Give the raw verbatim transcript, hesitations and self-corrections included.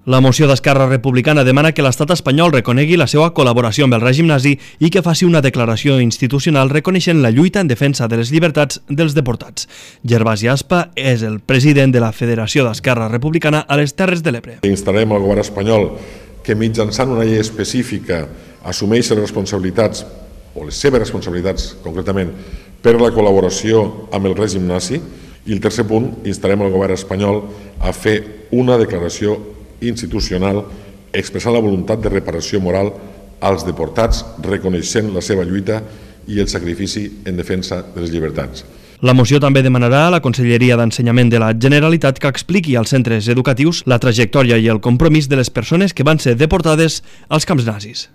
La moció d'Esquerra Republicana demana que l'estat espanyol reconegui la seva col·laboració amb el règim nazi i que faci una declaració institucional reconeixent la lluita en defensa de les llibertats dels deportats. Gervasi Aspa és el president de la Federació d'Esquerra Republicana a les Terres de l'Ebre. Instarem al govern espanyol que mitjançant una llei específica assumeixi les responsabilitats, o les seves responsabilitats concretament, per la col·laboració amb el règim nazi. I el tercer punt, instarem al govern espanyol a fer una declaració institucional expressant la voluntat de reparació moral als deportats, reconeixent la seva lluita i el sacrifici en defensa de les llibertats. La moció també demanarà a la Conselleria d'Ensenyament de la Generalitat que expliqui als centres educatius la trajectòria i el compromís de les persones que van ser deportades als camps nazis.